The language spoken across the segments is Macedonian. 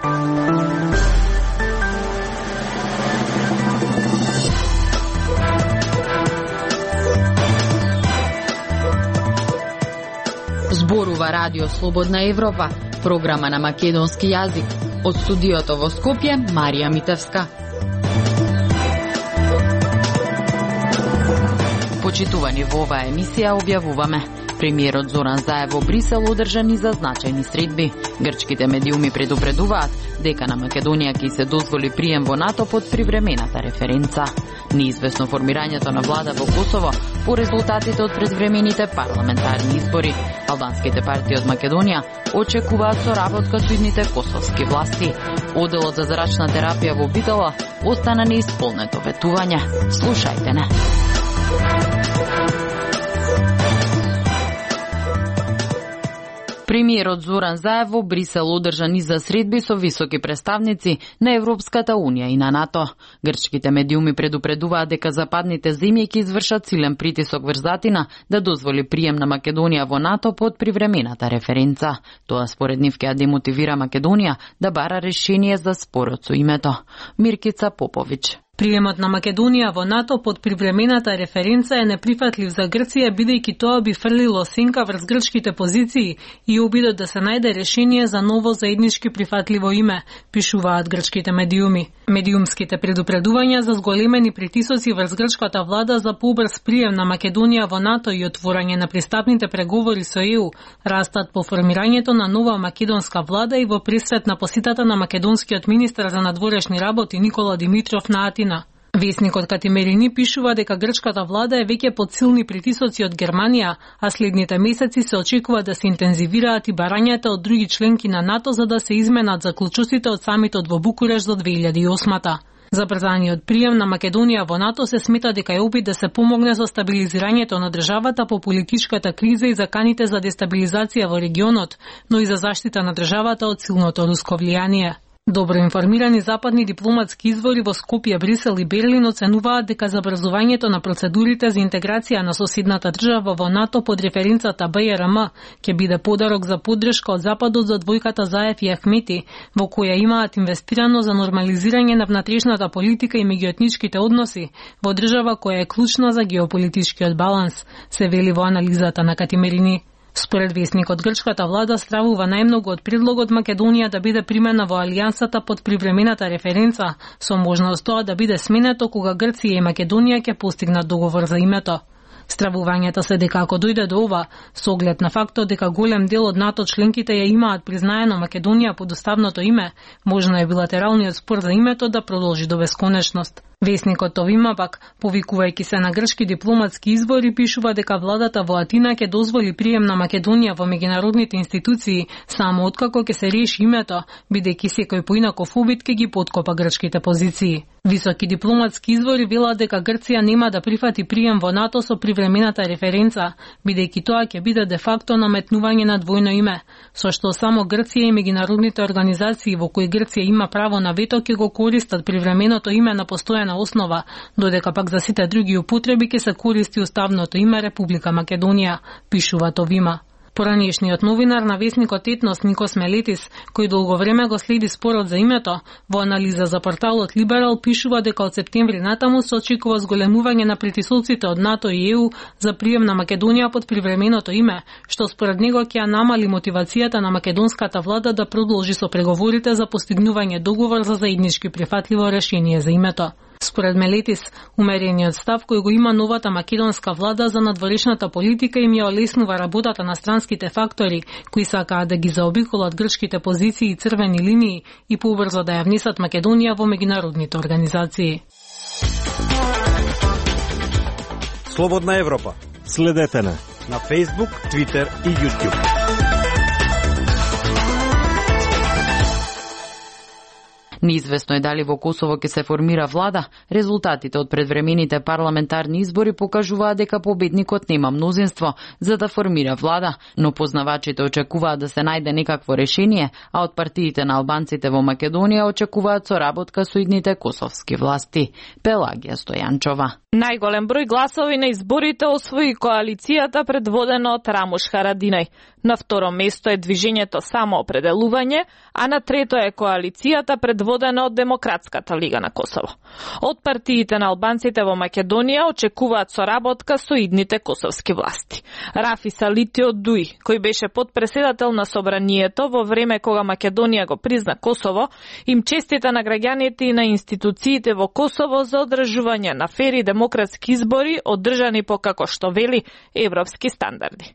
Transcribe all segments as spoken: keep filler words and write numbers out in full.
Зборува Радио Слободна Европа, програма на македонски јазик. Од студиото во Скопје, Марија Митевска. Почитувани во оваа емисија објавуваме: премиерот Зоран Заев во Брисел одржа низа значајни средби. Грчките медиуми предупредуваат дека на Македонија ќе се дозволи прием во НАТО под привремената референца. Неизвестно формирањето на влада во Косово по резултатите од предвремените парламентарни избори. Албанските партии од Македонија очекуваат соработка со идните косовски власти. Оделот за зрачна терапија во Битола остана неисполнето ветување. Слушајте не. Премиерот Зоран Заев во Брисел одржа низа средби со високи представници на Европската Унија и на НАТО. Грчките медиуми предупредуваат дека западните земји ќе извршат силен притисок врз Атина да дозволи прием на Македонија во НАТО под привремената референца. Тоа според нив ќе демотивира Македонија да бара решение за спорот со името. Миркица Поповиќ. Приемот на Македонија во НАТО под привремената референца е неприфатлив за Грција, бидејќи тоа би фрлило сенка врз грчките позиции и обидот да се најде решение за ново заеднички прифатливо име, пишуваат грчките медиуми. Медиумските предупредувања за зголемени притисоци врз грчката влада за побрз прием на Македонија во НАТО и отворање на пристапните преговори со Е У растат по формирањето на нова македонска влада и во пресрет на посетата на македонскиот министар за надворешни работи Никола Димитров на Атина. Весникот Катимерини пишува дека грчката влада е веќе под силни притисоци од Германија, а следните месеци се очекува да се интензивираат и барањата од други членки на НАТО за да се изменат заклучоците од самитот во Букуреш до две илјади и осма. Забрзаниот прием на Македонија во НАТО се смета дека е опит да се помогне со стабилизирањето на државата по политичката криза и заканите за дестабилизација во регионот, но и за заштита на државата од силното руско влијание. Добро информирани западни дипломатски извори во Скопје, Брисел и Берлин оценуваат дека забрзувањето на процедурите за интеграција на соседната држава во НАТО под референцата Б Р М ќе биде подарок за поддршка од Западот за двојката Заев и Ахмети, во која имаат инвестирано за нормализирање на внатрешната политика и меѓуетничките односи во држава која е клучна за геополитичкиот баланс, се вели во анализата на Катимерини. Според весникот, грчката влада стравува најмногу од предлогот Македонија да биде примена во алијансата под привремената референца, со можност тоа да биде сменето кога Грција и Македонија ќе постигнат договор за името. Стравувањата се дека ако дојде до ова, со оглед на фактот дека голем дел од НАТО членките ја имаат признаено Македонија под уставното име, можно е билатералниот спор за името да продолжи до бесконечност. Весникот Товима пак, повикувајќи се на грчки дипломатски извори, пишува дека владата во Атина ќе дозволи прием на Македонија во меѓународните институции само откако ќе се реши името, бидејќи секој поинаков обид ќе ги поткопа грчките позиции. Високи дипломатски извори велат дека Грција нема да прифати прием во НАТО со привремената референца, бидејќи тоа ќе биде де факто наметнување на двојно име, со што само Грција и меѓународните организации во кои Грција има право на вето ќе го користат привременото име на постојана основа, додека пак за сите други употреби ќе се користи уставното име Република Македонија, пишува Товима. Поранешниот новинар на весникот Етнос Никос Мелетис, кој долго време го следи спорот за името, во анализа за порталот Либерал пишува дека од септември натаму се очекува зголемување на притисоците од НАТО и Е У за прием на Македонија под привременото име, што според него ќе намали мотивацијата на македонската влада да продолжи со преговорите за постигнување договор за заеднички прифатливо решение за името. Според Мелетис, умерениот став кој го има новата македонска влада за надворешната политика им ја олеснува работата на странските фактори, кои сакаат да ги заобиколат грчките позиции и црвени линии и побрзо да ја внесат Македонија во меѓународните организации. Слободна Европа. Следете на на Facebook, Twitter и YouTube. Неизвестно е дали во Косово ќе се формира влада. Резултатите од предвремените парламентарни избори покажуваат дека победникот нема мнозинство за да формира влада, но познавачите очекуваат да се најде некакво решение, а од партиите на албанците во Македонија очекуваат соработка со идните косовски власти. Пелагија Стојанчова. Најголем број гласови на изборите освои коалицијата предводена од Рамуш Харадинај. На второ место е движењето Самоопределување, а на трето е коалицијата предводена од Демократската лига на Косово. Од партиите на албанците во Македонија очекуваат соработка со идните косовски власти. Рафи Салити од Дуи, кој беше подпредседател на собранието во време кога Македонија го призна Косово, им честита на граѓаните и на институциите во Косово за одржување на фери демократски избори одржани по, како што вели, европски стандарди.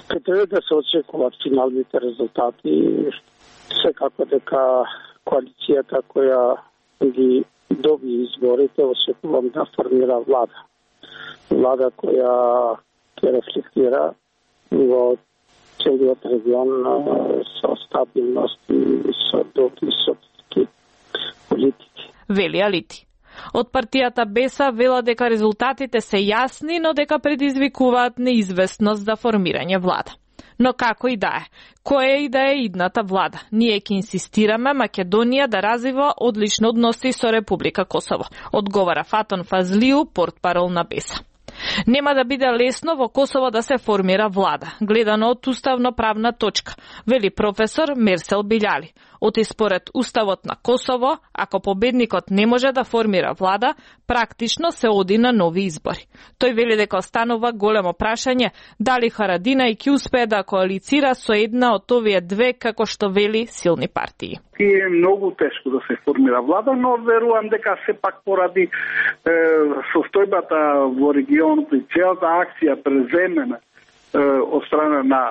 Треба да се очекуваат финалните резултати. Секако дека коалицијата која ги доби изборите, очекувам да формира влада. Влада која ќе рефлектира во целиот регион со стабилност и со добри социјски политики. Вели Алити. Од партијата Беса вела дека резултатите се јасни, но дека предизвикуваат неизвестност за формирање влада. Но како и да е, која и да е идната влада, ние ќе инсистираме Македонија да развива одлични односи со Република Косово, одговара Фатон Фазлиу, портпарол на Беса. Нема да биде лесно во Косово да се формира влада, гледано од уставно-правна точка, вели професор Мерсел Билјали. Оти според Уставот на Косово, ако победникот не може да формира влада, практично се оди на нови избори. Тој вели дека останува големо прашање дали Харадина ќе успее да коалицира со една од овие две, како што вели, силни партии. Е многу тешко да се формира влада, но верувам дека сепак поради е, состојбата во регионот и целата акција преземена е, од страна на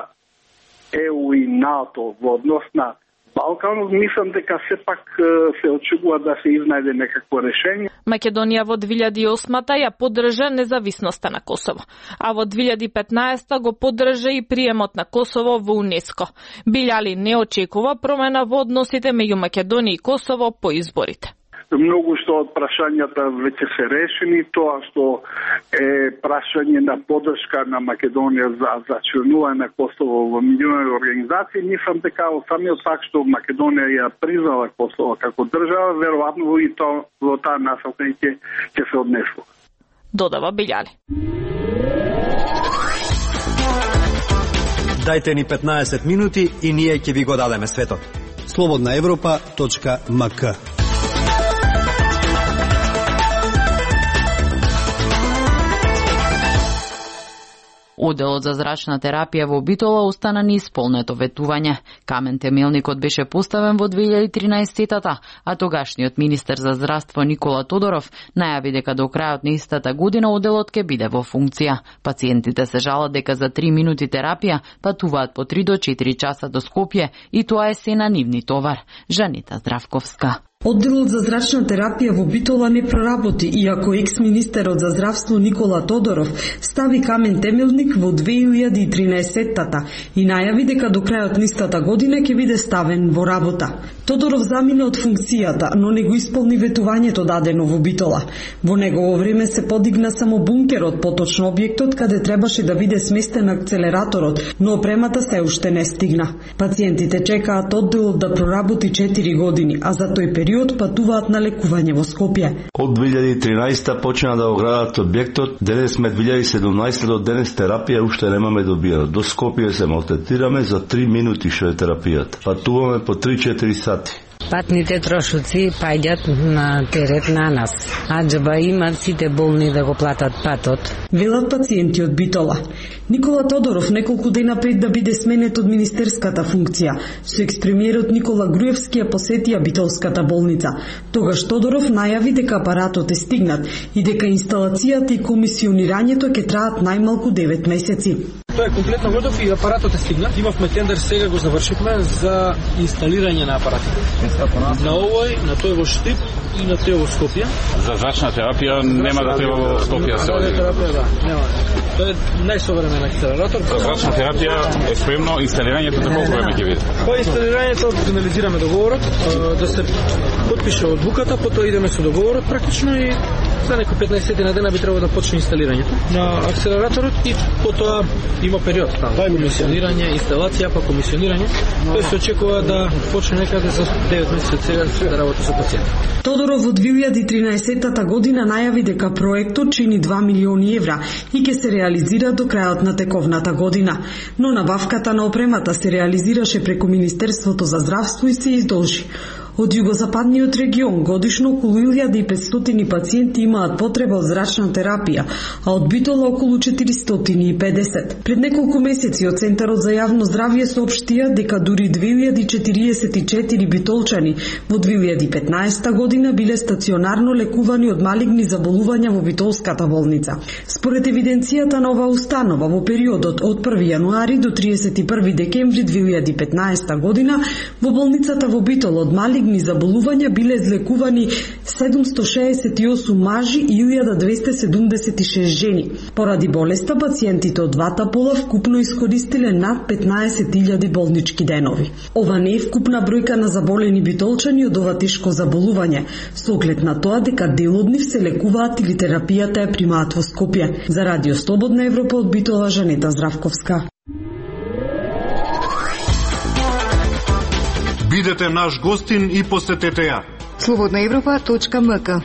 Е У и НАТО во однос на Балканот, мислам дека сепак се очекува да се изнајде некакво решение. Македонија во две илјади и осма ја поддржа независноста на Косово, а во две илјади и петнаесета го поддржа и приемот на Косово во УНЕСКО. Билјали не очекува промена во односите меѓу Македонија и Косово по изборите. Многу што од прашањата веќе се решени, тоа што е прашање на поддршка на Македонија за, за членување на Косово во меѓународни организации, мислам дека од самиот факт што Македонија ја признала Косово како држава, веројатно и тоа во таа насока ќе ќе се однесло. Додава Билјали. Дајте ни петнаесет минути и ние ќе ви го дадеме светот. слободна европа точка ем ка. Оделот за зрачна терапија во Битола остана неисполнето ветување. Камен темелникот беше поставен во две илјади и тринаесета, а тогашниот министер за здравство Никола Тодоров најави дека до крајот на истата година оделот ќе биде во функција. Пациентите се жалат дека за три минути терапија патуваат по три до четири часа до Скопје и тоа е се на нивни товар. Жанита Здравковска. Одделот за зрачна терапија во Битола не проработи, иако екс-министерот за здравство Никола Тодоров стави камен темелник во две илјади и тринаесета и најави дека до крајот на истата година ќе биде ставен во работа. Тодоров замина од функцијата, но не го исполни ветувањето дадено во Битола. Во негово време се подигна само бункерот, поточно објектот каде требаше да биде сместен акцелераторот, но опремата се уште не стигна. Пациентите чекаат одделот да проработи четири години, а за тој период патуваат на лекување во Скопје. Од две илјади и тринаесета почна да го градат објектот, денес сме две илјади и седумнаесета до денес терапија уште немаме добиено. До Скопје се малтретираме за три минути што е терапијата. Патуваме по три-четири сати. Патните трошоци паѓат на терет на нас, а џаба имат сите болни да го платат патот. Велат пациенти од Битола. Никола Тодоров неколку дена пред да биде сменет од министерската функција, со експремиерот Никола Груевски ја посетија Битолската болница. Тогаш Тодоров најави дека апаратот е стигнат и дека инсталацијата и комисионирањето ќе траат најмалку девет месеци. Тоа е комплетно готов и апаратот е стигнат. Имавме тендер, сега го завршивме за инсталирање на апаратот. На овој, на тој во Штип и на тој во Скопје. За зрачна терапија нема да треба во Скопје се оди. Терапија, да, нема. Тоа е најсовремен акцелератор. За зрачна терапија е спремно инсталирањето за колку време ќе биде? Па инсталирањето финализираме договорот, да се потпише одлуката, потоа идеме со договорот практично и за некои петнаесет на дена би требало да почне инсталирањето на акцелераторот и потоа има период таму. Комисионирање, инсталација, па комисионирање. Тој се очекува да почне некаде за девет месеци од сега да работи со пациенти. Тодоров во две илјади и тринаесетта година најави дека проектот чини два милиони евра и ќе се реализира до крајот на тековната година, но набавката на опремата се реализираше преку Министерството за здравство и се издолжи. Од југозападниот регион годишно околу илјада и петстотини пациенти имаат потреба од зрачна терапија, а од Битола околу четиристотини и педесет. Пред неколку месеци од Центарот за јавно здравје соопштија дека дури две илјади четириесет и четири битолчани во две илјади и петнаесетта година биле стационарно лекувани од малигни заболувања во Битолската болница. Според евиденцијата на оваа установа во периодот од први јануари до триесет и први декември две илјади и петнаесетта година во болницата во Битол од малигни заболувања биле излекувани седумсто шеесет и осум мажи и илјада двесте седумдесет и шест жени. Поради болеста, пациентите од двата пола вкупно искористиле над петнаесет илјади болнички денови. Ова не е вкупна бројка на заболени битолчани од ова тешко заболување, со оглед на тоа дека дел од нив се лекуваат или терапијата ја примаат во Скопје. За Радио Слободна Европа од Битола, Жанета Здравковска. Бидете наш гостин и посетете ја. слободна европа точка ем ка.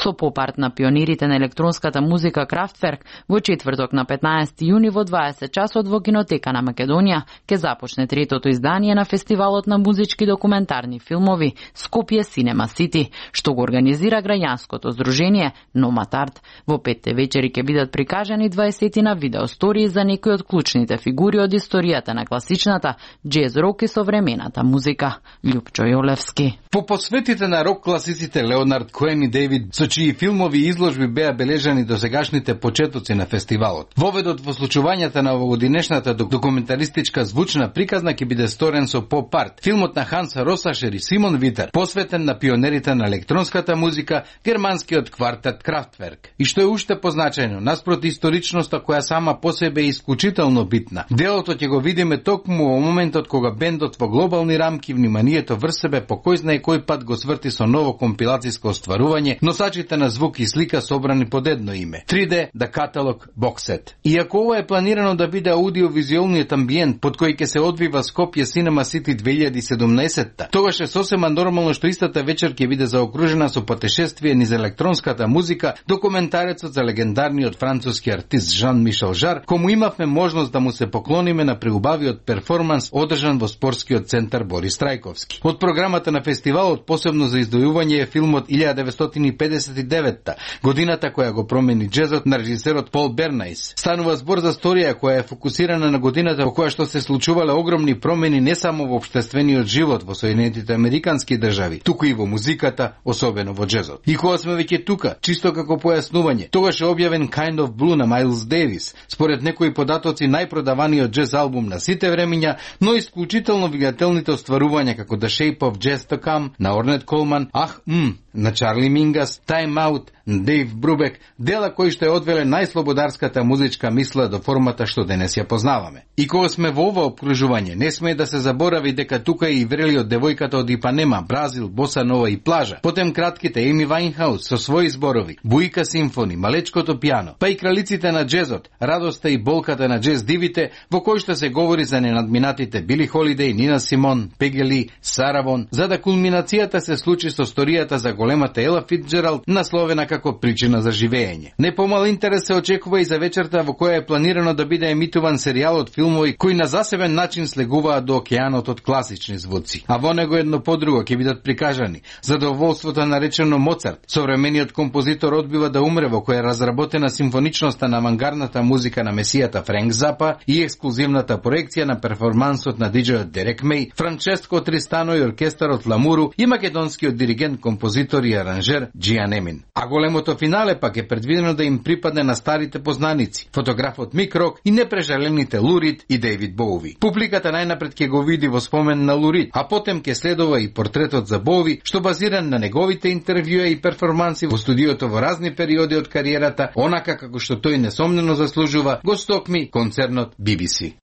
Со попарт на пионирите на електронската музика Крафтверк во четврток на петнаесети јуни во дваесет часот во Кинотека на Македонија ќе започне третото издание на фестивалот на музички документарни филмови Скопје Cinema City, што го организира граѓанското здружение Номад Арт. Во петте вечери ќе бидат прикажани дваесетина видеостории за некои од клучните фигури од историјата на класичната џез рок и современата музика. Љупчо Јолевски. По посветите на рок класиците Леонард Коен и Дейвид, со чии филмови и изложби беа бележани до сегашните почетоци на фестивалот. Воведот во случувањата на овогодинешната документаристичка звучна приказна ќе биде сторен со поп-арт, филмот на Ханс Росашер и Симон Витер, посветен на пионерите на електронската музика, германскиот квартет Крафтверк. И што е уште позначајно, наспроти историчноста која сама по себе е исклучително битна, делото ќе го видиме токму во моментот кога бендот во глобални рамки вниманието врз себе по кој знае кој пат го сврти со ново компилацијско остварување, носачите на звук и слика собрани под едно име. три де The Catalog Box Set. Иако ова е планирано да биде аудиовизуелниот амбиент под кој ќе се одвива Скопје Cinema City две илјади и седумнаесетта, тогаш е сосема нормално што истата вечер ќе биде заокружена со патешествие низ електронската музика, документарецот за легендарниот француски артист Жан-Мишел Жар, кому имавме можност да му се поклониме на преубавиот перформанс одржан во спортскиот центар Борис Трајковски. Од програмата на фестивалот посебно за издвојување е филмот илјада деветстотини и педесет и деветта, годината која го промени џезот на режисерот Пол Бернајс. Станува збор за сторија која е фокусирана на годината во која што се случувале огромни промени не само во општествениот живот во Соединетите Американски држави, туку и во музиката, особено во џезот. И кога сме веќе тука, чисто како појаснување, тогаш е објавен Kind of Blue на Майлс Дейвис, според некои податоци најпродаваниот џез албум на сите времиња, но исклучително влијателните остварувања како The Shape of Jazz to Come на Орнет Колман, Ах, м, на Чарли Мингас, Time Out, на Дейв Брубек, дела кои што е одвеле најслободарската музичка мисла до формата што денес ја познаваме. И кога сме во ова обкружување, не смее да се заборави дека тука е и врелиот девојката од Ипанема, Бразил, Боса Нова и Плажа, потем кратките Еми Вајнхаус со своји зборови, Буика Симфони, Малечкото пијано, па и кралиците на џезот, радоста и болката на џез дивите, во кој што се говори за ненадминатите Били Холидеј, Нина Симон, Пегели, Саравон, за да кулминацијата се случи со сторијата за големата Ела Фицџералд, насловена како причина за живење. Не помал интерес се очекува и за вечерта во која е планирано да биде емитуван серијалот филмови кои на засебен начин слегуваат до океанот од класични звуци. А во него едно по друго ќе бидат прикажани задоволството наречено Моцарт. Современиот композитор одбива да умре, во која е разработена симфоничноста на авангардната музика на месијата Френк Запа и ексклузивната проекција на перформансот на диџејот Дерек Меј, Франческо Тристано и оркестарот Ламуру и македонскиот диригент, композитор и аранжер Џијан Емин. А големото финале пак е предвидено да им припадне на старите познаници, фотографот Мик Рок и непрежалените Лу Рид и Дейвид Боуви. Публиката најнапред ќе го види во спомен на Лу Рид, а потем ќе следува и портретот за Боуви, што базиран на неговите интервјуа и перформанси во студиото во разни периоди од кариерата, онака како што тој несомнено заслужува, го стокми концернот Би Би Си.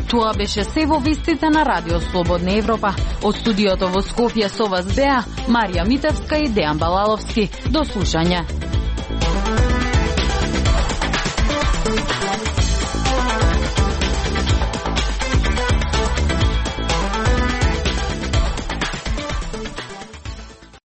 Тоа беше се во вестите на Радио Слободна Европа. Од студиото во Скопје со вас беа Марија Митевска и Дејан Балаловски. До слушање.